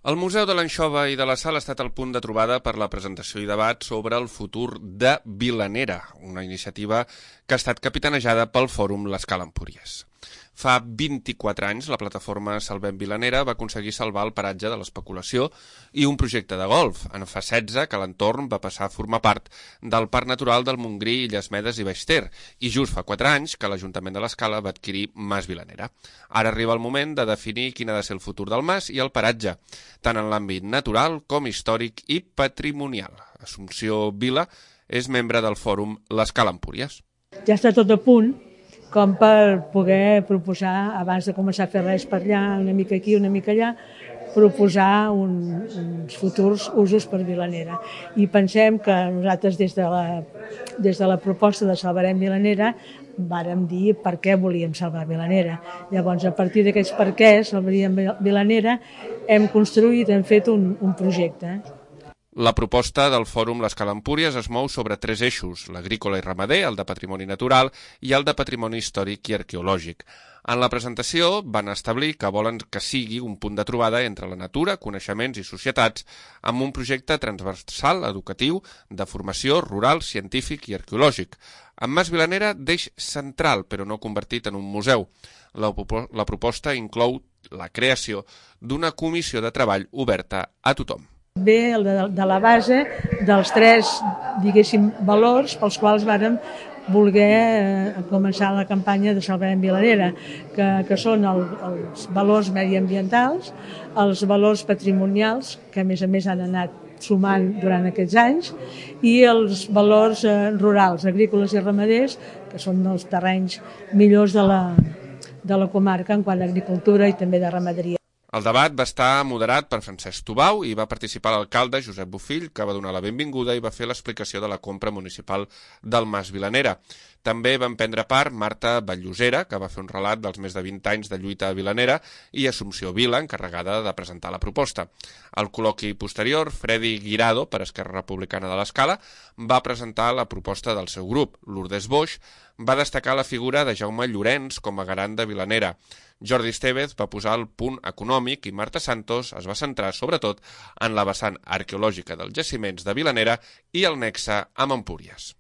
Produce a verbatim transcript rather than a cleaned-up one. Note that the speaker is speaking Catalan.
El Museu de l'Anxova i de la Sal ha estat el punt de trobada per la presentació i debat sobre el futur de Vilanera, una iniciativa que ha estat capitanejada pel Fòrum l'Escala Empúries. Fa vint-i-quatre anys, la plataforma Salvem Vilanera va aconseguir salvar el paratge de l'especulació i un projecte de golf. En fa setze que l'entorn va passar a formar part del Parc Natural del Montgrí, Illes Medes i Baix Ter, i just fa quatre anys que l'Ajuntament de l'Escala va adquirir Mas Vilanera. Ara arriba el moment de definir quin ha de ser el futur del mas i el paratge, tant en l'àmbit natural com històric i patrimonial. Assumpció Vila és membre del Fòrum l'Escala Empúries. Ja està tot a punt com per poder proposar, abans de començar a fer res per allà, una mica aquí, una mica allà, proposar un, uns futurs usos per Vilanera. I pensem que nosaltres des de la, des de la proposta de Salvarem Vilanera vàrem dir per què volíem salvar Vilanera. Llavors, a partir d'aquests per què salvaríem Vilanera, hem construït, hem fet un, un projecte. La proposta del Fòrum l'Escala Empúries es mou sobre tres eixos, l'agrícola i ramader, el de patrimoni natural i el de patrimoni històric i arqueològic. En la presentació van establir que volen que sigui un punt de trobada entre la natura, coneixements i societats amb un projecte transversal, educatiu, de formació rural, científic i arqueològic. Amb Mas Vilanera d'eix central, però no convertit en un museu. La, la proposta inclou la creació d'una comissió de treball oberta a tothom. Ve de, de la base dels tres, diguéssim, valors pels quals vàrem voler eh, començar la campanya de Salvarem Vilanera, que, que són el, els valors mediambientals, els valors patrimonials, que a més a més han anat sumant durant aquests anys, i els valors eh, rurals, agrícoles i ramaders, que són els terrenys millors de la, de la comarca en quant a agricultura i també de ramaderia. El debat va estar moderat per Francesc Tubau i va participar l'alcalde Josep Bofill, que va donar la benvinguda i va fer l'explicació de la compra municipal del Mas Vilanera. També van prendre part Marta Batllosera, que va fer un relat dels més de vint anys de lluita a Vilanera, i Assumpció Vila, encarregada de presentar la proposta. Al col·loqui posterior, Fredi Guirado, per Esquerra Republicana de l'Escala, va presentar la proposta del seu grup. Lourdes Boix va destacar la figura de Jaume Llorenç com a garant de Vilanera. Jordi Estevez va posar el punt econòmic i Marta Santos es va centrar sobretot en la vessant arqueològica dels jaciments de Vilanera i el nexe amb Empúries.